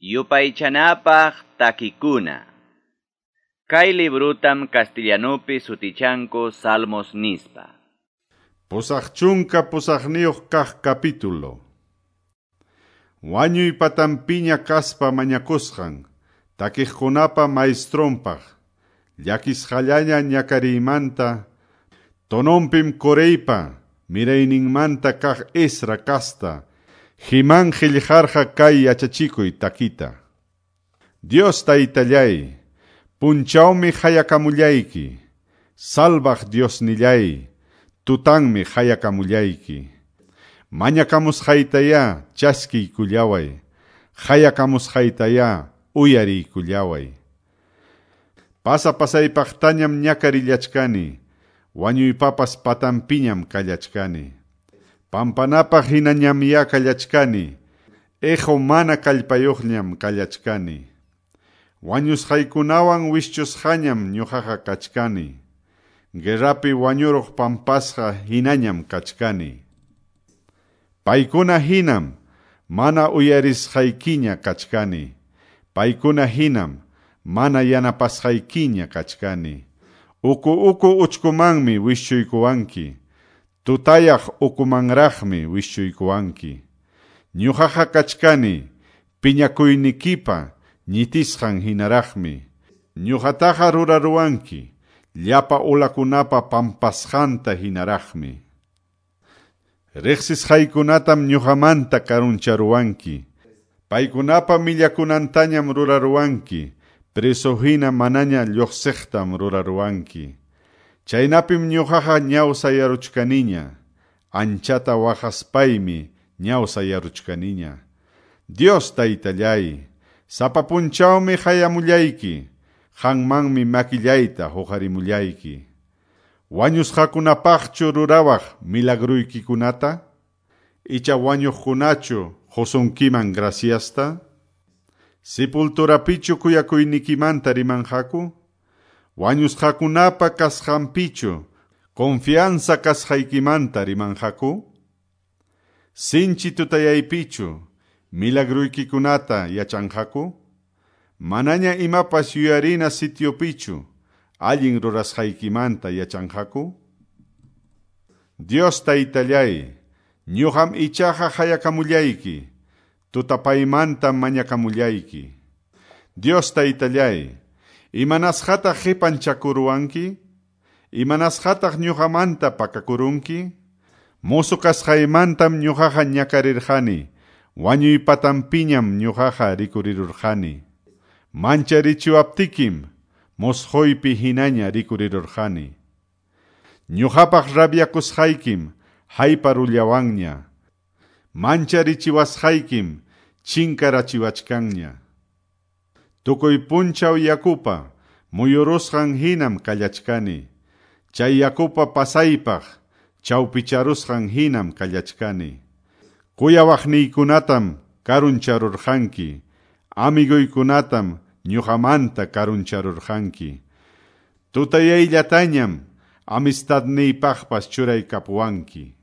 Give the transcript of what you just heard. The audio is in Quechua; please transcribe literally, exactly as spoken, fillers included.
Yupaychanapaq takikuna. Kay librutam castellanupi sutichanku Salmos nispa. Pusaq chunka pusaqniyuq kaq capítulo. Wañuy patampiña kaspa mañakusqan, takiqkunapa maestronpaq, llakisqallaña ñakariymanta, tononpim Coreypa, mirayninmanta kaq Ezra kasta, Jimán qillqarqa kay yachachikuy takita. Dios taytallay, punchawmi hayakamullayki, salvaq Diosnillay, tutanmi hayakamullayki. Mañakamusqaytayá chaskiykullaway, hayakamusqaytayá uyariykullaway. Pasa pasaypaqtañam ñakarillachkani, wañuypapas patampiñam kallachkani. Pampanapaq hinañam ya kallachkani, ejo mana kallpayuqñam kallachkani. Wañusqaykunawan wischusqañam ñuqaqa kachkani. Guerrapi wañuruq pampasqa hinañam kachkani. Paykuna hinam mana uyarisqaykiña kachkani. Paykuna hinam mana yanapasqaykiña kachkani. Uku uku uchkumanmi wischuykuwanki. Tutayaq ukumanraqmi wischuykuwanki. Ñuqaqa kachkani piñakuynikipa ñitisqan hinaraqmi. Ñuqataqa ruraruwanki llapa ulakunapa pampasqanta hinaraqmi. Riqsisqaykunatam ñuqamanta karuncharuwanki. Paykunapa millakunantañam ruraruwanki. Preso hina manaña lluqsiqtam ruraruwanki. Chaynapim ñuqaqa ñawsayaruchkaniña. Anchata waqaspaymi ñawsayaruchkaniña. Dios taytallay, sapa punchawmi hayamullayki, qanmanmi makillayta huqarimullayki. Wañusqakunapaqchu rurawaq milagruykikunata? Icha wañuqkunachu qusunkiman graciasta? Sepulturapichu kuyakuynikimanta rimanqaku? Wañusqakunapa kasqanpichu confianza kasqaykimanta rimanqaku? Sinchi tutayaypichu milagruykikunata yachanqaku? Manaña imapas yuyarina sitiopichu allin rurasqaykimanta yachanqaku? Dios taytallay, ñuqam ichaqa hayakamullayki, tutapaymantam mañakamullayki. Dios taytallay, imanasqataq qipanchakuruwanki? Imanasqataq ñuqamanta pakakurunki? Musu kasqaymantam ñuqaqa ñakarirqani, wañuy patampiñam ñuqaqa rikurirurqani. Mancharichiwaptikim musquypi hinaña rikurirurqani. Ñuqapaq rabyakusqaykim hayparullawanña. Mancharichiwasqaykim chinkarachiwachkanña. Tukuy punchaw yakupa muyurusqan hinam kallachkani. Chay yakupa pasaypaq chawpicharusqan hinam kallachkani. Kuyawaqniykunatam karuncharurqanki, amiguykunatam ñuqamanta karuncharurqanki. Tutayayllatañam amistadniypaqpas churaykapuwanki.